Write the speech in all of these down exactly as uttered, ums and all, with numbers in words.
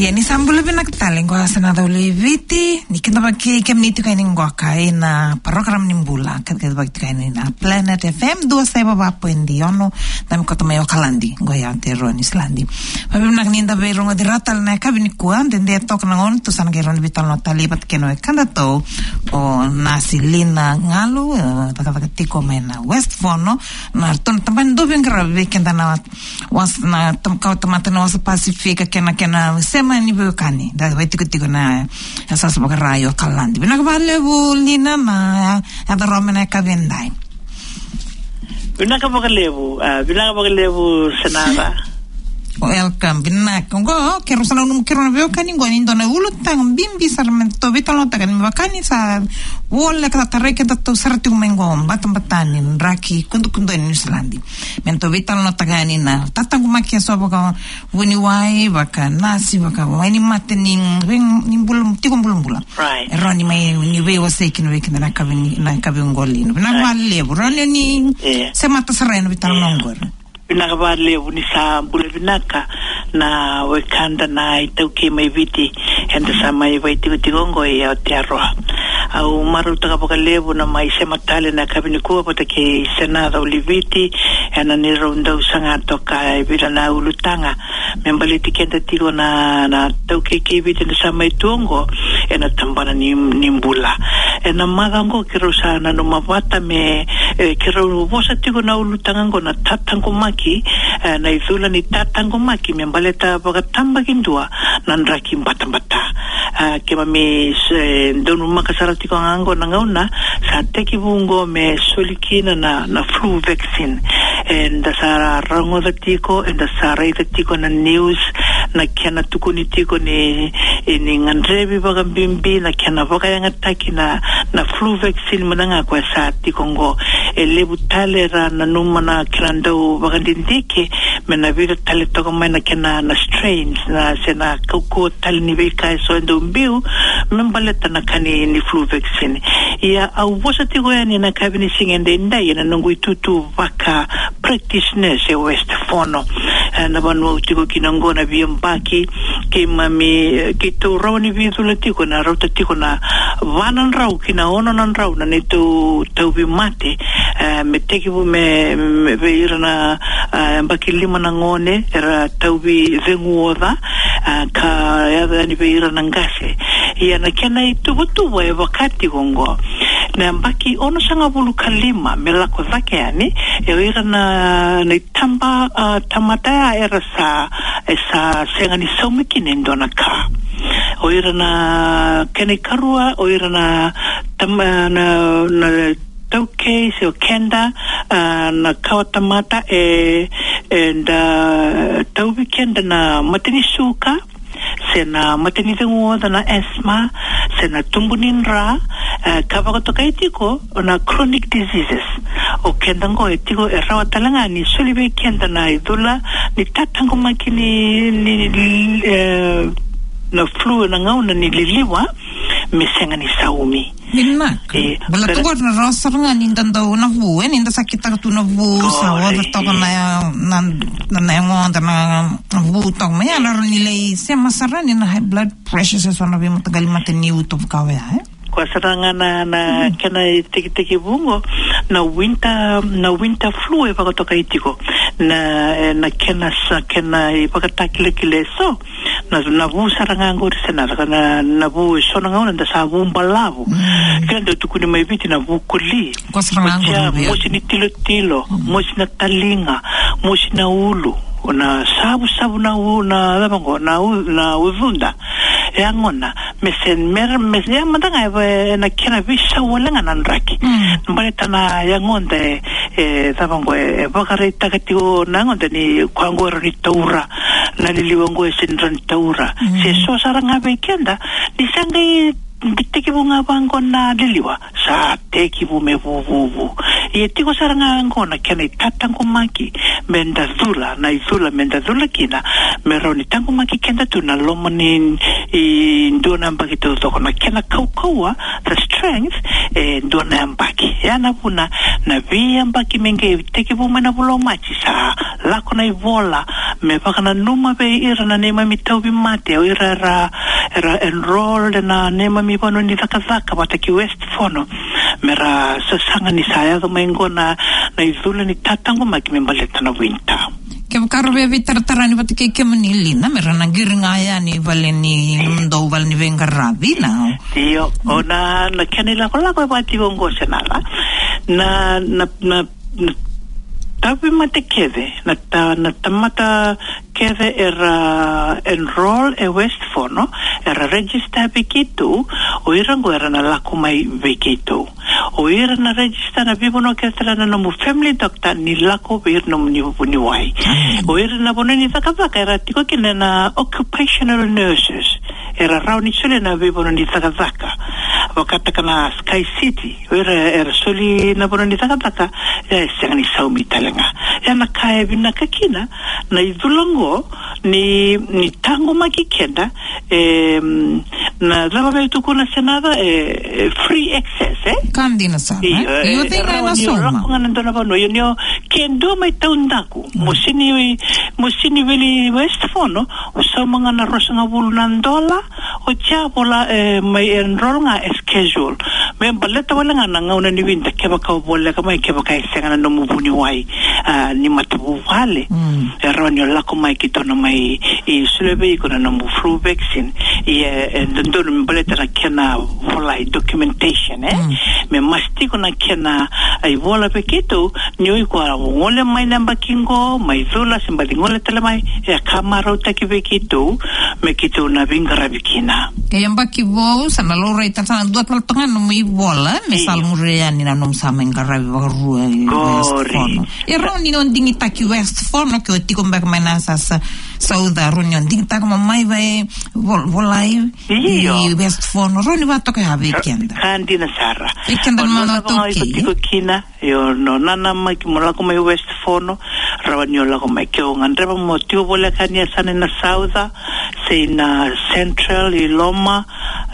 Ia ni sa bula vinaka tale, qo sa na cau lai Viti, ni kidavaki kemuni tiko yani qo ka ina program ni bula, ka kidavaki tiko yani na Planet F M, dua saiva va poidi ono, da mai koto mai Okaladi, qo i Aotearoa Niusiladi. Vavinavinaka ni da veirogoci rawa tale na yakavi nikua, dede toka na gauna, tou sa na qai rawa ni veitalanoa tale vata kei na wekadatou, o Nasi Lina Galu, e, cakacaka tiko mai na West Fono, na ratou na tabana dau veiqaravi vei keda na wasa, na tam-, kawa tamata na wasa Pasifika kei na, kei na sema ni veiwekani. Da vaitikotiko na yasayasa vakara i Okaladi. Vinaka vakalevu Lina na yaco rawa mai na yakavi edai. Vinaka vakalevu, a, vinaka vakalevu Senara. Welcome, vinaka. Qo, keirau sa nanuma keirau na veiwekani qo ni dua na ulutaga bibi sara me tou veitalanoataka ni me vaka ni sa voleka, sa tarai kedatou sara tiko mai qo, batabata ni draki kudukudu e Niusiladi. Me tou veitalanoataka yani na tataqomaki eso vakavuniwai, vakanasi, vakavaini mate ni, ni bula, tiko bulabula. Right. E rawa ni mai, ni veiwasei kina vei keda na yakavi ni, na yakavi oqo Lina. Vinaka vakalevu. Rawa ni, ni semata sara ena veitalanoa oqori. Vinaka vakalevu ni sa bula vinaka na wekada na iTaukei mai Viti, eda sa mai vaitikotiko oqo i Aotearoa. Au marautaka vakalevu na mai sema tale na yakavi nikua vata kei Sena Cauliviti, ena neirau dau saga toka e vica na ulutaga me baleti keda tiko na, na taukei kei Viti eda sa mai tu oqo ena tabana ni, ni bula. Ena macawa oqo keirau sa nanuma vata me, e, keirau vosa tiko na ulutaga oqo na tataqomaki, e, na icula ni tataqomaki me baleta vakatabakidua na draki batabata. A, keimami, e, donumaka sara tiko ga oqo na gauna sa tekivu oqo me soli kina na, na flu vaccine. Eda sa rogoca tiko, eda sa raica tiko na news, na kena tukuni tiko ni, e, ni gadrevi vakabibi, na kena vakayagataki na, na flu vaccine mada ga koya sa tiko oqo. E levu tale era nanuma na kena dau vakadidike, me na vica tale toka mai na kena na strains, na se na kaukauwa tale ni veika eso e dau biu, me baleta na ka ni, ni flu vaccine. Ia au vosa tiko yani na yakavi ni siga edaidai ena noqu itutu vaka practice nurse e West Fono. E, na vanua au tiko kina oqo na veiyabaki, keimami, e, keitou rawa ni veicula tiko, na rauta tiko na va na drau ki na ono na drau na neitou tauvimate, e, me tekivu me, me vei ira na, e, yabaki lima na gone era tauvi cegu oca, e, ka yaco yani vei ira na qase. Ia na kena ituvatuva e vaka tiko oqo, na yabaki onosagavulu ka lima me lako cake yani, e o ira na, na itaba, a, tamata ya era sa, e sa sega ni saumi kina e dua na ka. O ira na kena ikarua, o ira na tama, na, na taukei se o keda, a, na kawa tamata e, eda tauvi keda na mate ni suka, se na mate ni cegu oca na asthma, se na tubu ni dra, e, ka vakatokai tiko na chronic diseases. O keda oqo e tiko e rawa tale ga ni soli vei keda na icula ni tataqomaki ni, ni, ni, e, na flu na gauna ni liliwa me sega ni saumi. Vinaka. E, baleta oqori na rawa sara ga ni da dau na vu, e, ni da sa kitaka tu na vu, sa oca toka na, na, na, na yagoda na vu toka mai, e rawa ni lai sema sara ni na high blood pressure se so na veimataqali mate ni uto vaka oya, e. Koya sara ga na, na kena itekitekivu oqo, na winter, na winter flu e vakatokai tiko. Na, e, na kena sa, kena ivakatakilakila eso, na, na vu sara ga oqori se na, na, na vu eso na gauna da sa vu balavu. Kena dau tukuni mai Viti na vu koli. Koya sara ga oqori. Mosi ni tilotilo, mosi na taliga, mosi na ulu, na savusavu na u-, na cava oqo, na u-, na ucuda. E yagona, me se, me, me se, ia mada ga e, e na kena veisau wale ga na draki. Baleta na yagoda e, e cava oqo, e vakaraitaka tiko na yagoda ni koya oqo e rawa ni taura, na liliwa oqo e sega ni rawa ni taura. Se so sara ga vei keda, ni sa qai tekivu ga vaqo na liliwa, sa tekivu me vuvuvu. Ia tiko sara ga oqo na kena itataqomaki, me da cula, na icula me da cula kina, me rawa ni taqomaki keda tu na loma ni, e, dua na yabaki taucoko, na kena kaukauwa, the strength, e dua na yabaki. Ya na vuna, na veiyabaki me qai tekivu mai na vula o Maji sa lako na ivola, me vakananuma vei ira na neimami tauvimate, o ira era, era enrolled ena neimami vanua ni cakacaka vata ki West Fono, me ra sasaga ni sa yaco mai qo na, na icula ni tataqomaki me baleta na winter. Kevaka ra via veitaratara yani vata kei kemuni Lina, me ra na qiri ga yani vale ni nomudou vale ni veiqaravi na. Io, o na, na kena ilakolako e vaka tiko qo Senala. Na, na, na, na tauvimate kece, na ta-, na tamata kece era enroll e West Fono, era register vei keitou, o ira qo era na lako mai vei keitou. O ira na register na veivanua kece tale na nomu family doctor ni lako vei ira nomuni vuniwai. O ira na vanua ni cakacaka era tiko kina na occupational nurses. Era rawa ni solia na veivanua ni cakacaka. Vakataka na Sky City, o ira era soli na vanua ni cakacaka, e sega ni saumi tale ga. Ia na ka e vinaka kina, na icula qo, ni, ni taqomaki keda, e, mm, na cava vei tukuna Senala, e, e free access, e? Ka dina sara, io, e? Io, e, tei ga rawa na ni o sauma. Lako ga na dua na vanua, io, ni o ke dua mai taudaku, mm, mo sini, mo sini veli West Fono, o sauma ga na ruasagavulu na dola, o tia vola, e, mai enroll ga e schedule. Me baleta wale ga na gauna ni winter, kevaka o voleka mai, kevaka e sega na nomu vuniwai, a, ni matavuvale. Mm. E rawa ni o lako mai keitou na mai, e, solia vei iko na nomu flu vaccine. Ia, e, dodonu me baleta na kena volai documentation, e? Mm. Me mas tiko na kena, a, ivola vei keitou, ni o iko a gole mai na yabaki qo, mai cula, se baci gole tale mai, e ka marautaki vei keitou, me keitou na veiqaravi kina. E yabaki vou, sa na laurai tale, sa na dua tale toka ga nomu ivola, me, io, sa lai muria yani na nomu sa mai qaravi vakarua i West Fono. E rawa ni o digitaki West Fono, ke o tiko beka mai na sa, sa, Sauca, rawa ni o digitaka mo mai vei vol-, volai, io, i West Fono, rawa ni vaka toka ya vei keda. Ka dina sara. Vei keda na, o na, na, na, toki, iko tiko kina, io, o nanamaki mo lako mai West Fono, rawa ni o lako mai. Ke o gadreva mo tiko voleka ni yasana na Sauca, se na Central, i Loma,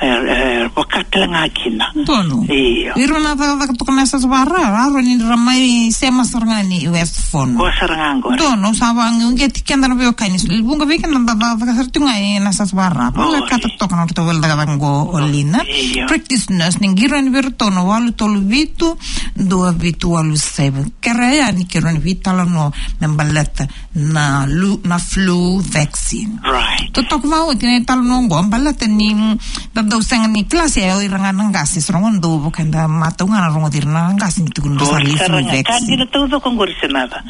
e, e, vaka tale ga kina. Donu. Io. Ira na cakacaka toka na yasayasa vakarau, rawa ni ra mai sema sara ga ni West Fono. Ko sara ga qori. Donu, sa vaqeti keda na veiwekani. Vuqa vei keda na cakacaka sara tu ga ena yasayasa vakarau. Oi. Voleka toka na nodratou vale cakacaka qo o Lina. Io. Practice nurse, ni qiri yani vei iratou na walu tolu vitu, dua vitu walu seven. Kerea yani keirau na veitalanoa me baleta na lu-, na flu vaccine. Right. Totoka vakaoti na italanoa qo, baleta ni, mm, da dau sega ni kila se o ira ga na qase, se rogo dau vaka eda matau ga na rogoci ira na qase ni tukuna sa lai flu vaccine. Ka dina taucoko qori Senala.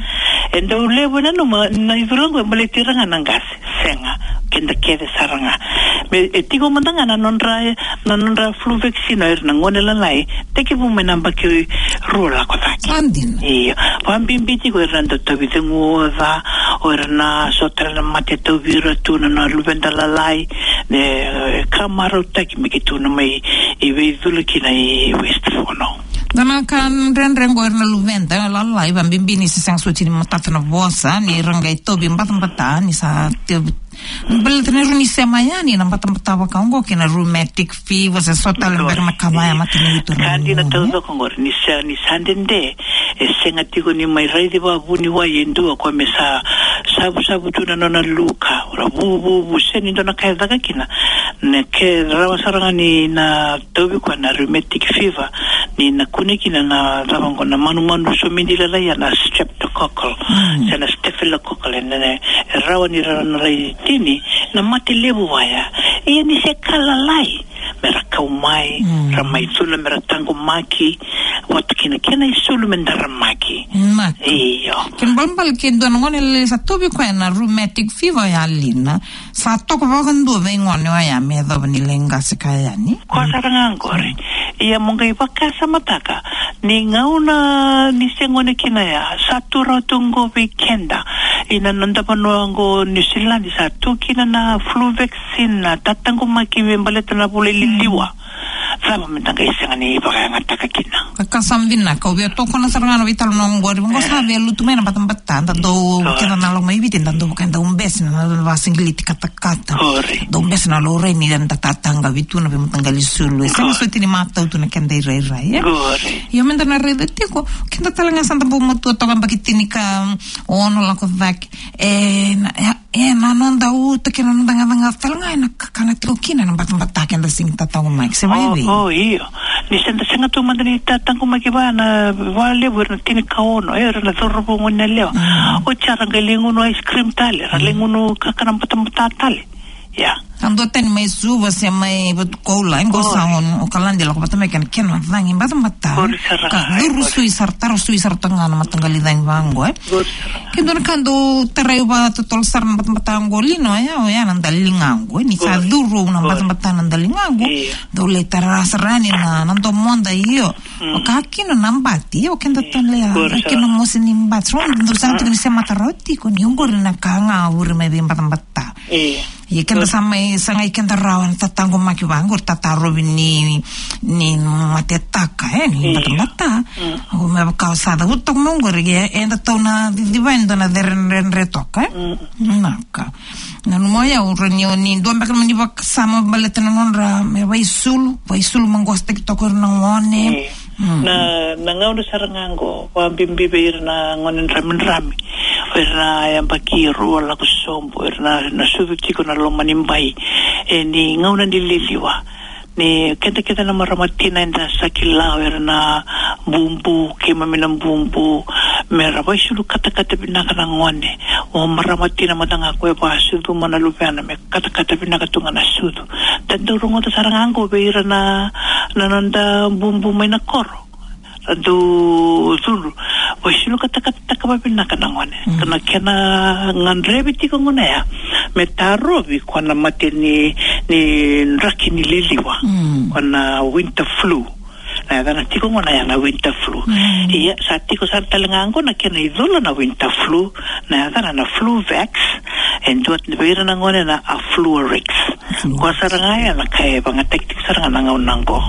E dau levu e nanuma na icula qo e baleti ira ga na qase. Sega, keda kece sara ga. Me, e tiko mada ga na nodra, na nodra flu vaccine o ira na gone lalai, tekivu mai na yabaki rua lako cake. Sa dina. Io. Vakabibi tiko o ira na dau tauvi ceguoca, o ira na so tale na mate tauvi ira tu na, na luveda lalai, e, e ka marautaki me keitou na mai, e, veicula kina i West Fono. Da na ka dredre qo o ira na luveda lalai, vakabibi ni se sega soti ni matata na vosa, ni ra qai tauvi batabata, ni sa te Baleta ni rawa ni sema yani na batabata vaka oqo kei na rheumatic fever, se so tale beka na ka vaya matanitu. Ka dina taucoko qori, ni sa, ni sa dede, e sega tiko ni mai raici vakavuniwai e dua ko me sa savusavu tu na nona luka, ra vuvuvu, se ni dua na ka e caka kina. Na ke rawa sara ga ni na tauvi koya na rheumatic fever, ni na kune kina na cava qo na manumanu somidi lalai, a na streptococcal, se na staphylococcal, e na, e rawa ni ra na lai tini na mate levu vaya. Ia ni se ka lalai, me ra kau mai, ra mai cula, me ra taqomaki, vata kina kena isulu me daramaki. Io. Kena balebale ke dua na gone lalai sa tauvi koya na rheumatic fever ya Lina, sa toka vakadua vei gone oya me yacova ni lai qase ka yani. Ko sara ga qori. Ia mo qai vakasamataka ni gauna ni se gone kina ya, sa tu rawa tu qo vei keda. Ina noda vanua qo Niusiladi sa tu kina na flu vaccine, na tataqomaki me baleta na vula i liliwa. cava me da qai sega ni vakayagataka kina. Ka, ka sa vinaka, au via tokona sara ga na veitalanoa oqori, vaqo sa via lutu mai na batabata, da dau, keda na lako mai Viti, da dau vaka, da ubesi na, na vasigiliti katakata. Qori. Da ubesi na laurai ni da tataqavi tu na veimataqali sulu. E sega soti ni matau tu na keda irairai, e? Qori. Io, me da na raica tiko, keda tale ga sa da bau matua toka, yabaki tinikaono lako cake. E, na, e, e, na noda uto kei na noda gacagaca tale ga, ena kakana tiko kina na batabata keda sega ni tataqomaki, se vakaevei? O, o, io. Ni se da sega tu mada ni tataqomaki va na, vakalevu era na tinikaono, e, era na cauravou, gone yalewa. Mm. Oti sa ra qai lai gunu ice cream tale, ra lai gunu kakana batabata tale. Ia. A dua tani mai Suva se mai Vatukoula, e qo sa o, o Kaladi lako vata mai kei na kena cagi batabata. Qori sara ga, qori. Ka curu sui sara, taro sui sara toka ga na mataqali cagi vaqo, e. Qori sara ga. Ke dua na ka dau tarai vakatotolo sara na batabata qo, Lino, e, oya na daliga qo, e. Ni sa curu na batabata na daliga qo, io, dau lai tara sara yani na, na domoda, io. Mm. Vaka kina na bati, io, keda tale ya. Qori sara. Vaka kina mosi ni bati. Rau dau sega tiko ni semata rawa tiko, ni oqori na ka ga vure mai vei batabata. Io. Ia keda sa mai sagai keda rawa na tataqomaki vaqo, tatarovi ni, ni matetaka, e, ni batabata. Mm. Au me vaka sa cavuta toka mai oqori, e, eda tau na ciciva e dua na cere dredre toka, e. Mm. Naka. Nanuma o yau, ra ni, ni dua beka na mani vakasama baleta na nodra me vaisulu, vaisulu maqosataki toka o ira na gone. Mm. Na, na gauna sara ga qo, vakabibi vei ira na gone dramidrami, o ira na yabaki rua lako sobu, o ira na, na sucu tiko na loma ni bai. E, ni gauna ni liliwa. Ni keda, keda na marama tina eda sa kila o ira na bubu, keimami na bubu, me ra vaisulu katakata vinaka na gone. O marama tina mada ga ko e vakasucuma na luvena, me katakata vinaka tu ga na sucu. Da dau rogoca sara ga qo vei ira na, na noda bubu mai na koro. Ra dau cudru, vaisulu katakata vakavinaka na gone. Mm. Ka na kena gadrevi tiko gona ya, me tarovi ko na mate ni, ni draki ni liliwa. Mm. Ko na winter flu. Na yacana tiko gona ya na winter flu. Mm. Ia, sa tiko sara tale ga qo na kena icula na winter flu, na yacana na Fluvax, e dua vei ira na gone na Afluarix. Fluarix. Ko sara ga ya na ka e vagataki tiko sara ga na gauna qo.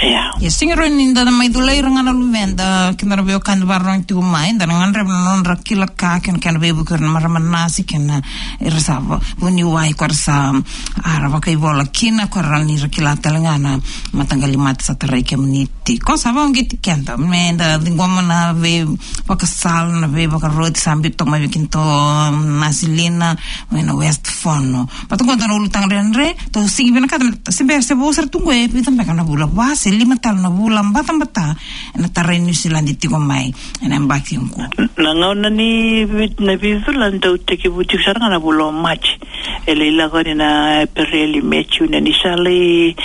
Ia. Ia, sega rawa ni da na mai culai ira ga na luveda, kei na veiwekani vakarorogo tiko mai, da na gadreva na nodra kila ka, kei na, kei na veivuke o ira na marama nasi, kei na ira sa va-, vuniwai, ko ira sa, a, ra vakaivola kina, ko ira ni ra kila tale ga na mataqali mate sa tarai kemuni tiko. Sa vakauqeti keda me da ciqoma na veivakasala, na veivakaroti sa biu toka mai vei kedatou na Silina mai na West Fono. Vata qo dua na ulutaga dredre, tou sega ni vinakata, se bera se vou sara tu qo, e vica beka na vula, va se lima tale na vula batabata ena tarai Niusiladi tiko mai ena yabaki qo. Na gauna ni vi-, na veicula dau tekivu tiko sara ga na vula o Maji. E lai lako yani na Epereli, Me, June, ni sa lai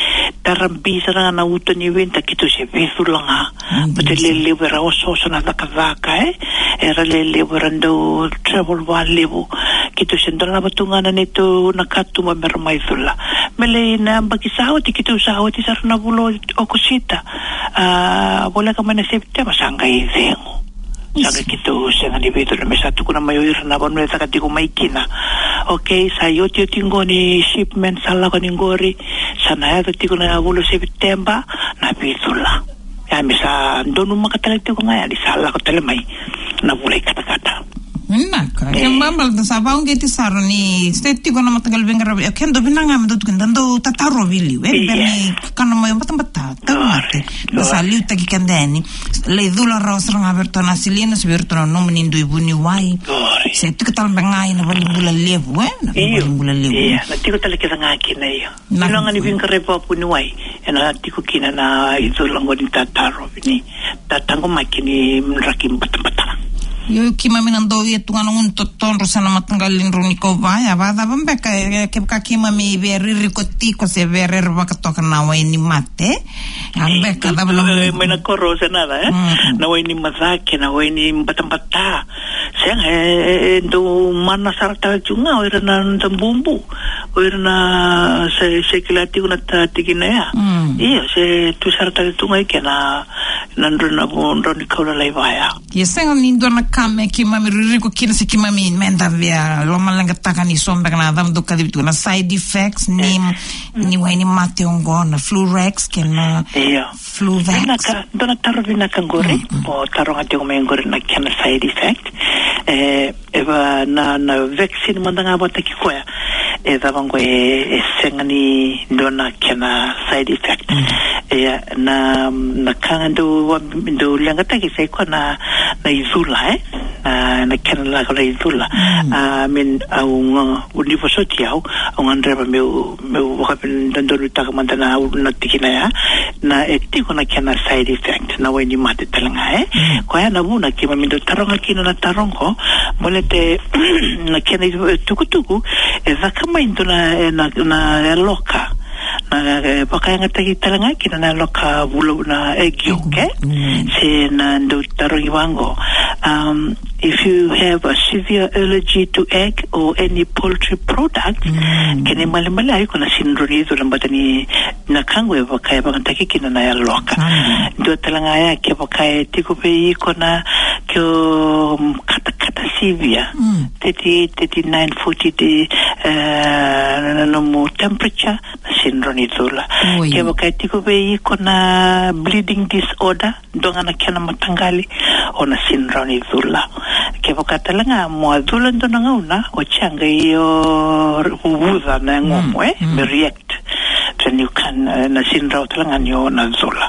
tara bi sara ga na uto ni winter, keitou se veicula ga. Mm. Baleta e lelevu era osooso na cakacaka, e. Era lelevu, era dau travel vakalevu. Keitou se dolava tu ga na neitou na katuba me ra mai cula. Me lai na yabaki sa oti, keitou sa oti sara na vula o Okosita. A, voleka mai na Sepiteba sa qai cegu. Sa qai keitou sega ni veicula, me sa tukuna mai o ira na vanua e caka tiko mai kina. Okei, sa iotioti qo ni shipment sa lako yani qori, sa na yaco tiko na vula o Sepiteba na veicula. Ia me sa donumaka tale tiko ga yani, sa lako tale mai na vula i katakata. Vinaka. E. Kena ibalebale da sa vakauqeti sara ni se tiko na mataqali veiqaravi. E, keda vinaka ga me dau tukuni, da dau tatarovi i liu, e. Ia. Bera ni kakana mai o batabata, tauvimate. Qori. Da sa liutaki keda yani. Lai cula rawa sara ga vei iratou na Silina, se vei iratou na nomuni dui vuniwai. Qori. Se tiko tale beka ga ina valenibula levu, e? Na, io, valenibula levu. Ia, na tiko tale kece ga kina, io. Na, io, na gauna ni veiqaravi vakavuniwai, ena tiko kina na icula qo ni tatarovi ni tataqomaki ni draki batabata. Io, keimami na dau ia tu ga na gunu totodro se na mataqali drau ni kauwai, a vakacava beka, e, kevaka keimami via ririko tiko se via rere vakatoka na wai ni mate. A beka, cava na, e, mai na koro se na, e? Mm. Na wai ni macake, na wai ni batabata. Sega, e, e, e dau mana sara tale tu ga o ira na noda bubu, o ira na se, se kila tiko na tikina ya. Mm. Io, se tu sara tale tu ga i ke na, Na drau na vo, drau ni kau lalai vaya. Ia sega ni dua na ka me keimami ririko kina se keimami meda via lomaleqataka ni so beka na cava dau kacivi tu na side effects ni, ni wainimate oqo na Flurex kei na Fluvax. Vinaka, dua na taro vinaka qori. Mm, mm. O taroga tiko mai qori na kena side effect. E, e va na, na vaccine mada ga vata kei koya. E cava qo e, e sega ni dua na kena side effect. Mm. E, na, na ka ga dau, dau leqataki sa i koya na, na icula, e? Na, na kena lako na icula. Mm. A, I mean, au ga, ni vosoti au, au gadreva meu, meu vakavinavinakataka mada na, na tikina ya, na e tiko na kena side effect, na wainimate tale ga, e? Mm. Koya na vuna keimami dau taroga kina na taro qo, baleta na kena itukutuku, e caka mai dua na, e, na, na yaloka. Na, e, vakayagataki tale ga kina na yaloka vula na egg yolk, e? Mm. Se na dau tarogi vaqo. Um, if you have a severe allergy to egg or any poultry product, mm, kena ibalebale iko na sega ni rawa ni cula baleta ni na ka qo e vakayagataki kina na yaloka. Mm. Dua tale ga ya kevaka e tiko vei iko na ke o, mm, katakata sivia. Mm. Thirty-eight, thirty-nine, forty de, e, na, na nomu temperature, na sega ni rawa ni cula. Oi. Kevaka e tiko vei iko na bleeding disorder, dua ga na kena mataqali, o na sega ni rawa ni cula. Kevaka tale ga mo a cula dua na gauna, o sa qai o vuvuca na yagomu, mm, e, mm, me react. Then you can, e, na sega ni rawa tale ga ni o na cula.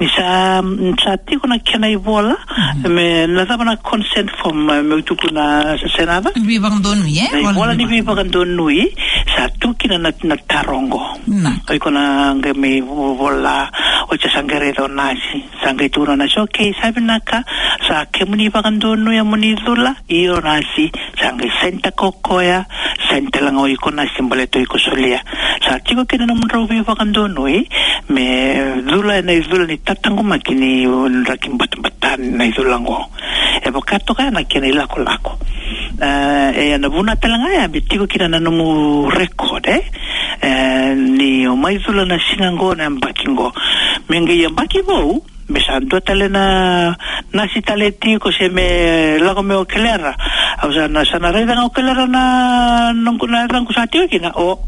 Ni sa, ni sa tiko na kena ivola, mm, me na cava na consent form, e, meu tukuna se, se na cava? Veivakadonui, e? Na ivola ni veivakadonui, sa tu kina na, na taro qo. Na. O iko na qai mai vo-, vola, o sa qai raica o nasi. Sa qai tukuna o nasi, okay, sa vinaka, sa kemuni vakadonuya moni cula, io nasi, sa qai sainitaka o koya, saini tale ga o iko nasi baleta o iko solia. Sa tiko kina na nomudrau veivakadonui, me cula ena icula ni tataqomaki ni draki batabata na icula qo. E vaka toka ya na kena ilakolako. E, e na vuna tale ga ya, me tiko kina na nomu record, e? E, ni o mai cula na siga qo na yabaki qo. Me qai yabaki vou, me sa dua tale na nasi tale tiko se me lako me o kelera. Au sa na, sa na raica ga o kelera na noqu na yacaqu sa tiko kina, o,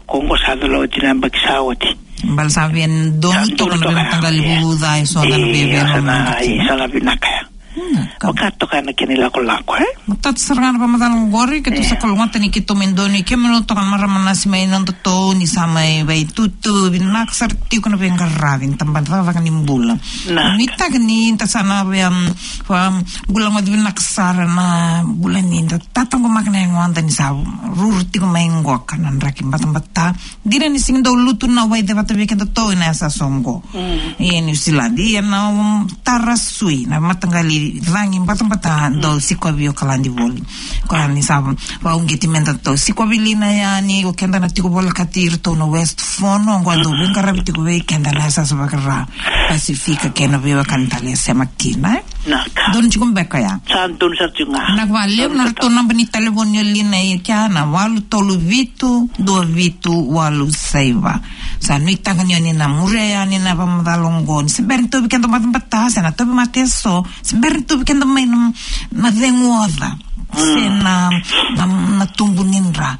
ko qo sa cula oti na yabaki sa oti. Bale sa via donu toka na veimataqali vuvuca e so na via via sa na, sa na vinaka ya. Hmm, ka- Vaka toka na kena ilakolako, e? Matata sara ga na vakamacala qori, keitou sa kalougata ni keitou mai donui kemuni toka na marama nasi mai nodatou ni sa mai vaitutu vinaka sara tiko na veiqaravi ni tabana cakacaka ni bula. Vinaka. Nuitaka ni da sa na via, um, bula gona vinaka sara na bula ni da tataqomaka na yagoda ni sa ruru tiko mai qoka na draki batabata. Dina ni sega ni dau lutu na wai cevata vei kedatou ena yasayasa oqo. Mm. E New Zealand, ia na, um, tara sui, na mataqali cagi batabata dau sikovi Okaladi voli. Koya ni sa vakauqeti me datou sikovi Lina yani, o keda na tiko volekati iratou na West Fono, oqo dau veiqaravi tiko vei keda na yasayasa vaka Ra Pasifika kei na veiwekani tale e sema kina, e? Vinaka. Donu tiko beka ya? Sa donu sara tiko ga. Vinaka vakalevu. Na ratou naba ni talevoni o Lina i kea na walu tolu vitu dua vitu walu saiva. Sa nuitaka ni o ni na muria yani na vakamacala oqo. Ni se bera ni tauvi keda batabata, se na tauvimate eso, se bera ni tauvi keda mai na, na cegu oca. Se na, na, na tubu ni dra.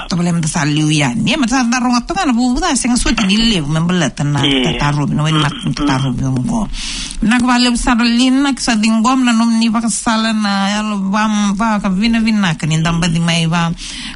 Tovolea meda sa liu yani. Ia meda sa da rogoca toka na vuvuca, sega soti ni levu me baleta na tatarovi, na wainimate tatarovi oqo. Vinaka vakalevu sara Lina, ke sa ciqoma na nomuni vakasala na yalo va, vakavinavinaka ni da baci mai va,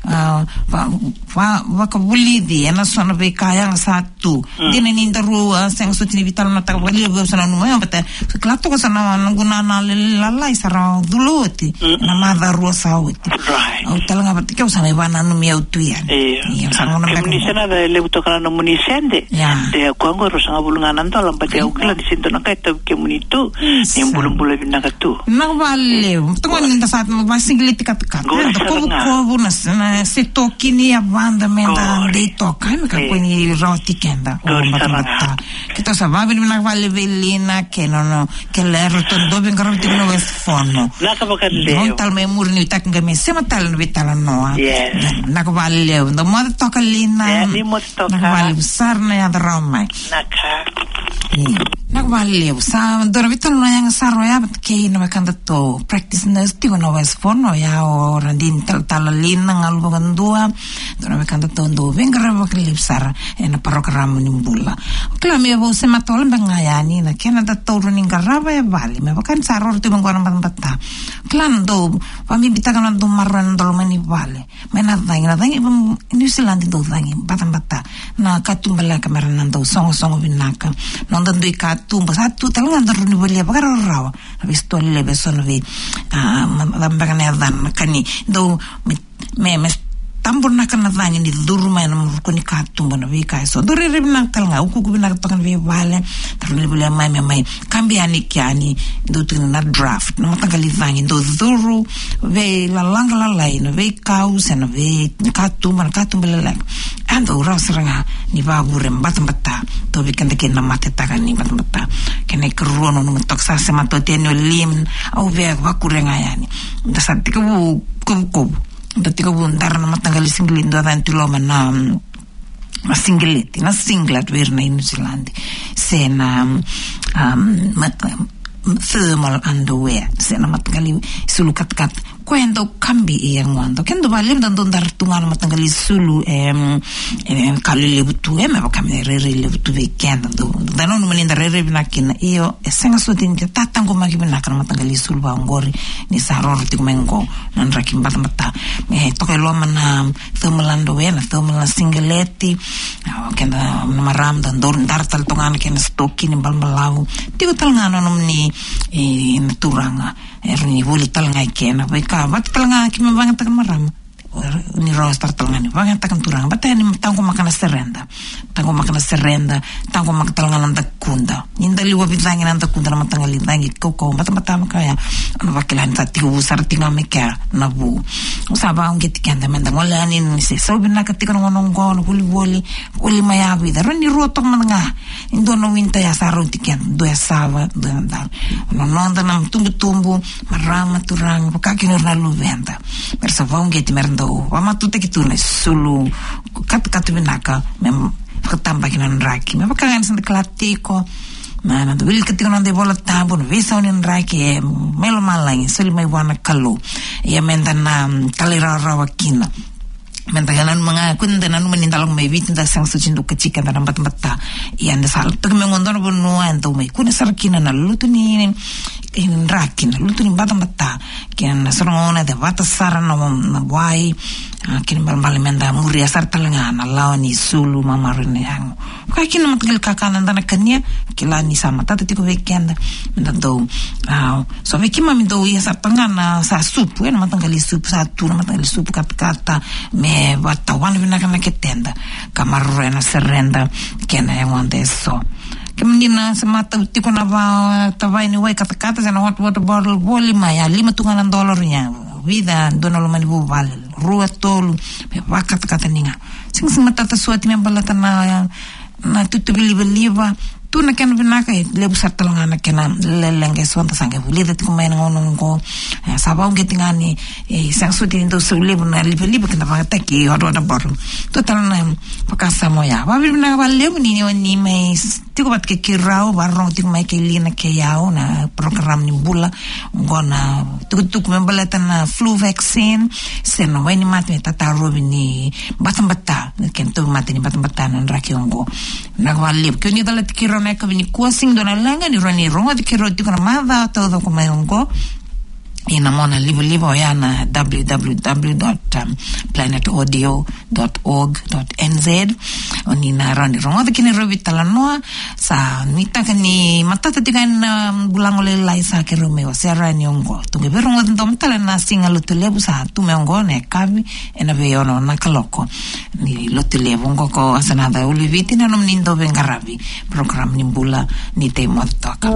a, va, va, vakavulici ena so na veika yaga sa tu. Mm. Dina ni daru a sega soti ni veitalanoataka vakalevu, au sa nanuma ya, baleta kila toka sa na noqu nana lalai sa ra cula oti. Mm. Na macawa rua sa oti. Right. Au tale ga vata kei au sa mai vakananumi au tu yani. Io. Io, sa gauna beka. Kemuni sa na levu toka na nomuni sede. Ia. De koya qo ruasagavulu ga na dola, baleta au kila ni se dua na ka e tauvi kemuni tu. Ni bulabula vinaka tu. Vinaka vakalevu. Toka ni da sa vakasigileti katakata. Qori sara ga. Kovukovu na, na se toki ni yavada me da dei toka, me kakua ni rawati keda. Qori sara ga. Keitou sa vakavinavinaka vakalevu vei Lina kei na nona kelera, ratou dau veiqaravi tiko na West Fono. Vinaka vakalevu. Dou tale mai muri, nuitaki ga me sema tale na veitalanoa. Yes. Vinaka vakalevu. Dou moce toka Lina. Ia, ni moce toka. Vinaka vakalevu sara na yaco rawa mai. Vinaka. Io. Vinaka vakalevu. Sa dua na veitalanoa yaga sara oya vata kei na wekadatou practice nurse tiko na West Vanuatu, oya o Radini Talatala Lina Galu Vakadua. Dua na wekadatou dau veiqaravi vakalevu sara ena parokaramu ni bula. Kila me vou se matau beka ga yani na kena datou rawa ni qarava e vale me vaka ni sa roro tiko qo na batabata. Kila na dau vabibitaka na dau maroroi na dau loma ni vale. Mai na cagi, na cagi, mm, New Zealand dau cagi batabata. Na katuba leka mera na dau sogosogo vinaka. Noda dui katuba, sa tu tale ga da rawa ni volia vakarawarawa. Na veisitoa lelevu eso na vei, ah, ma, ma, beka na yacana, na ka ni dau, me, me, me taburaka na cagi ni curu mai na ruku ni katuba, na veika eso. Dau rairai vinaka tale ga, ukuuku vinaka toka na veivale, da rawa ni volia mai, me mai kabi yani ki yani, dau tu na draft, na mataqali cagi dau curu veilalaga lalai, na veikau se na veikatuba, na katuba leleka. A dau rawa sara ga ni vavure batabata, tauvi keda kina na matetaka ni batabata. Kena ikarua, nanuma toka, sa sema toka yani o Lim, au via vakure ga yani. Da sa tekivu kovukovu, da tekivu dara na mataqali sigileti, dua cani tu loma na, mm, na sigileti, na singlet vei ira na New Zealand. Se na, um, mat-, um, thermal underwear, se na mataqali sulu katakata. Koya e dau kabi e yagoda. Keda vakalevu da dau dara tu ga na mataqali sulu, em, em, ka lelevu tu, em, me vaka me rairai levu tu vei keda. Dau, da nanuma ni da rairai vinaka kina. Io, e sega soti ni tataqomaki vinaka na mataqali sulu vaqori ni sa roro tiko mai qo na draki batabata. Me toka e loma na thermal underwear, na thermal na sigileti. O keda na marama da dau dara tale toka ga na kena sitoki ni balabalavu. Tiko tale ga na nomuni, e, na turaga, e rawa ni voli tale ga i kena. Veika vata tale ga keimami vakayagataka na marama, ni rawa sara tale ga ni vakayagataka na turaga. Baleta ni taqomaka na sereda. Taqomaka na sereda, taqomaka tale ga na dakuda. Ni da liwa vicagi na dakuda, na mataqali cagi kaukauwa batabata, me kaya, o na vakila ni sa tekivu sara tiko ga mai kea na vu. Au sa vakauqeti keda meda gole yani ni se sau vinaka tiko na gauna oqo, na volivoli, voli mai yavu, eda rawa ni rua toka mada ga. E dua na winter ya sa rauti keda, dua e sava, dua e dau. Na noda na tubutubu, marama, turaga, vaka kina o ira na luveda. Mera sa vakauqeti, mera dau vakamatutaki tu na sulu katakata vinaka, me vakatabaki na draki. Me vaka ga ni sa da kila tiko, na, na da wilika tiko na noda iVola Tabu, na veisau ni draki e mai lomalagi, soli mai vua na Kalou. Ia meda na, mm, talairawarawa kina. Meda nanuma ga, kua ni da nanuma ni da lako mai Viti da sega soti ni dau kaci keda na batabata. Ia da sa lako toka mai qo e dua na vanua e dau mai kune sara kina na lutu ni, ni draki, na lutu ni batabata. Kei na so na gauna e cevata sara na, na wai, a, kena ibalebale meda muria sara tale ga na lawa ni sulu, mamaroroi na yago. Vaka kina na mataqali kakana eda na kania, kila ni sa matata tiko vei keda, meda dau, a, so vei keimami dau ia sara toka ga na sa supu, e, na mataqali supu, sa tu na mataqali supu katakata, me vakatawana vinaka na keteda, ka maroroya na sereda kei na yagoda eso. Kemuni na se matau tiko na va, tavaya ni wai katakata, se na hot water bottle, voli mai, a lima tu ga na dola, ia vica, dua na loma ni vuvale, rua, tolu, me vakatakata ni ga. Sega, sega ni matata soti me baleta na, na tutuvi livaliva. Tu na kena vinaka, e levu sara tale ga na kena leqa eso da sa qai vulica tiko mai na gauna oqo. E, sa vakauqeti ga ni, e, sega soti ni dau sau levu na livaliva keda vakayagataki hot water bottle. Tu tale na vakasama oya. Vakavinavinaka vakalevu ni, ni, ni mai tiko vata kei keirau, vakarorogo tiko mai kei Lina kei au na program ni bula. Oqo na tukutuku me baleta na flu vaccine, se na wai ni mate me tatarovi ni batabata, na kena tauvimate ni batabata na draki oqo. Vinaka vakalevu. Ke o ni calati keirau na yakavi nikua, sega ni dua na leqa, ni rawa ni rogoci keirau tiko na macawa taucoko mai oqo. Ia na mona livaliva oya na w w w dot planet audio dot org dot n z. O ni na rawa ni rogoca kina e rua na veitalanoa. Sa nuitaka ni matata tiko yani na bula oqo lailai sa keirau mai wasea yani oqo. Tou qai veirogoci doma tale na Siga Lotulevu sa tu mai oqo na yakavi ena veiono na kaloko. Ni Lotulevu oqo ko Asanada Uliviti na nomuni dauveiqaravi. Program ni bula, ni tei moce toka.